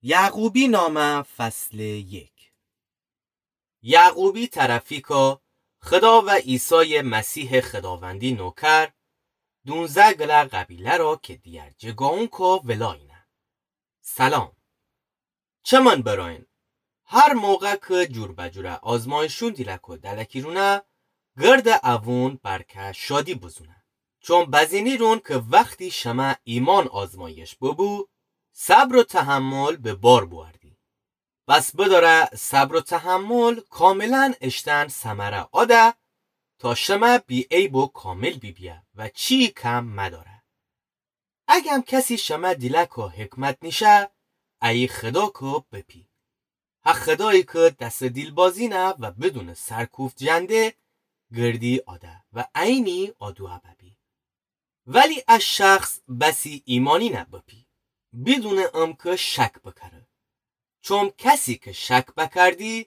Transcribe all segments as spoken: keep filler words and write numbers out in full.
یعقوبی نامه فصل یک. یعقوبی طرفی که خدا و عیسی مسیح خداوندی نوکر، دونزه گله قبیله را که دیگر جگاون که ولاینه. سلام. چمن براین، هر موقع که جور به جور آزمایشون دیلکو دلکی رونه، گرد اوون برکه شادی بزونه. چون بزینی رون که وقتی شمه ایمان آزمایش ببو، صبر و تحمل به بار بوردی. بس بداره صبر و تحمل کاملاً اشتن ثمره آده، تا شمه بی عیب و کامل بیبیه و چی کم مداره. اگم کسی شمه دیلکو حکمت نیشه، ای خدا کو بپی. ها خدایی که دس دیلبازی نه و بدون سرکوفت جنده گردی آده و عینی آدوه ببی. ولی ا شخص بسی ایمانی نه بپی، بدون امکه شک بکره. چوم کسی که شک بکردی،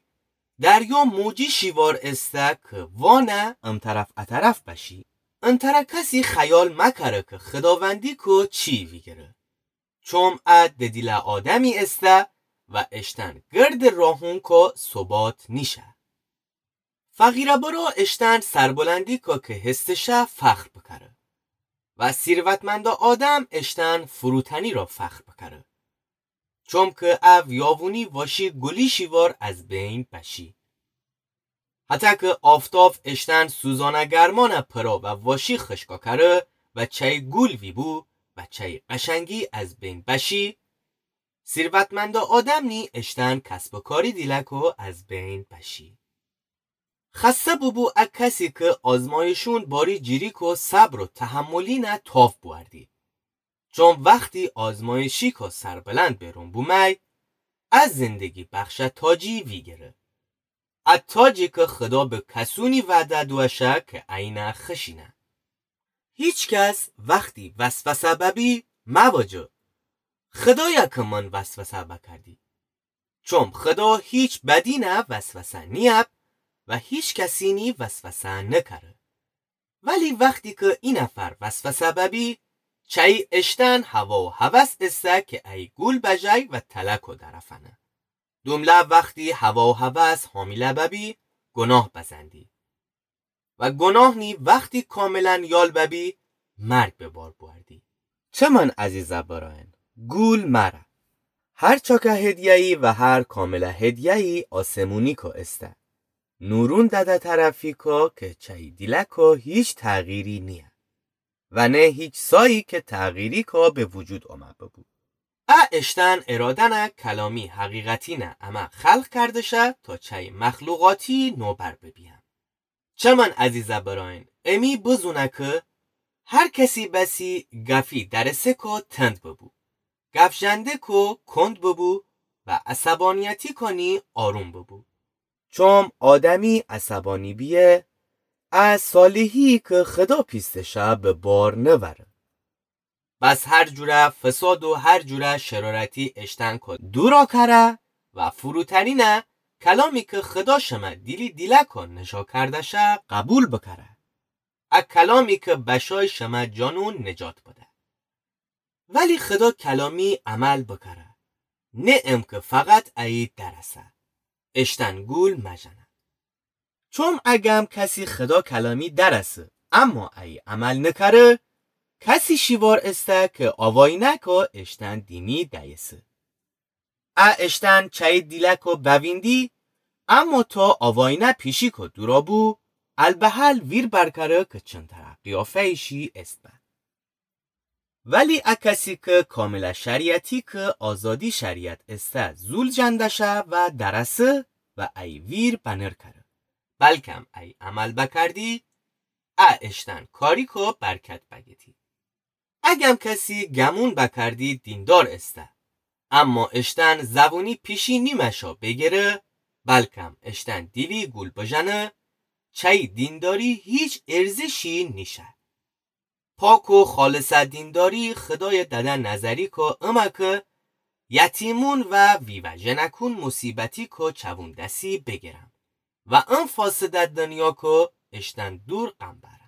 دریا موجی شیوار استه که وانه امطرف اطرف بشی. انطره کسی خیال مکره که خداوندی که چی ویگره. چوم ا ددیله آدمی استه و اشتن گرد راهون که ثبات نیشه. فقیره برو اشتن سربلندی که که هستشه فخر بکره و ثروتمند آدم اشتن فروتنی را فخر بکره. چوم که او یاوونی واشی گلی شیوار از بین بشی. حتی که آفتاف اشتن سوزانه گرمانه پرا و واشی خشکا کره و چی گل ویبو و چی قشنگی از بین بشی، ثروتمند آدم نی اشتن کسب و کاری دیلکو از بین بشی. خسته ببو ا کسی که آزمایشون باری جیری کو صبر و تحملی نه تاف بوردی. چون وقتی آزمایشی کو سربلند برون بومی، ا زندگی بخش تاجی ویگره. ا تاجی که خدا به کسونی وعده دوشه که عینه خشینه. هیچ کس وقتی وسوسه ببی، مواجه خدایا که من وسوسه بکردی. چوم خدا هیچ بدی نه وسوسه نیب و هیچ کسی نی وسوسه نکره. ولی وقتی که ای نفر وسوسه ببی، چی اشتن هوا و هوس استه که ای گل بجی و تلکو درفنه. دومله وقتی هوا و هوس حامله ببی، گناه بزندی. و گناه نی وقتی کاملاً یال ببی، مرگ به بار بوردی. چمن عزیزه براین، گول مره. هر چاکه هدیه‌ای و هر کامله هدیه‌ای آسمونی کو استه. نورون دده طرفی کو که چی دیلکو هیچ تغییری نیه. و نه هیچ سایی که تغییری کو به وجود آمه ببو. ا اشتن ارادنه کلامی حقیقتی نه امه خلق کرده شه تا چی مخلوقاتی نوبر ببیم. چمن عزیزه براین، امی بزونه که هر کسی بسی گفی درسه کو تند ببو، گف جنده کو کند ببو و عصبانیتی کنی آروم ببو. چوم آدمی عصبانی بیه، ا صالحی که خدا پیسته شه به بار نوره. بس هر جوره فساد و هر جوره شرارتی اشتن کو دورا کره و فروتنی نه کلامی که خدا شمه دیلی دیلکو نشا کرده شه قبول بکره. ا کلامی که بشای شمه جانون نجات بده. ولی خدا کلامی عمل بکره. نه ام که فقط ای درسه. اشتن گول مجنه. چوم اگم کسی خدا کلامی درسه، اما ای عمل نکره، کسی شیوار استه که آواینه کو اشتن دیمی دیسه. ا اشتن چی دیلکو بویندی، اما تا آواینه پیشی کو دورا بو، البهل ویر برکره که چنتره قیافه‌یشی است به. ولی ا کسی که کامله شریعتی که آزادی شریعت استه زول جنده شه و درسه و ای ویر بنر کره، بلکم ای عمل بکردی، ا اشتن کاری کو برکت بگیتی. اگم کسی گمون بکردی دیندار استه، اما اشتن زبونی پیشی نیمشا بگیره، بلکم اشتن دیلی گول بجنه، چی دینداری هیچ ارزشی نیشه. پاک و خالصه دینداری خدای دده نظری کو امه که یتیمون و ویوه جنکون مصیبتی کو چوون دسی بگیرم و ام فاسده دنیا کو اشتن دور قم بر.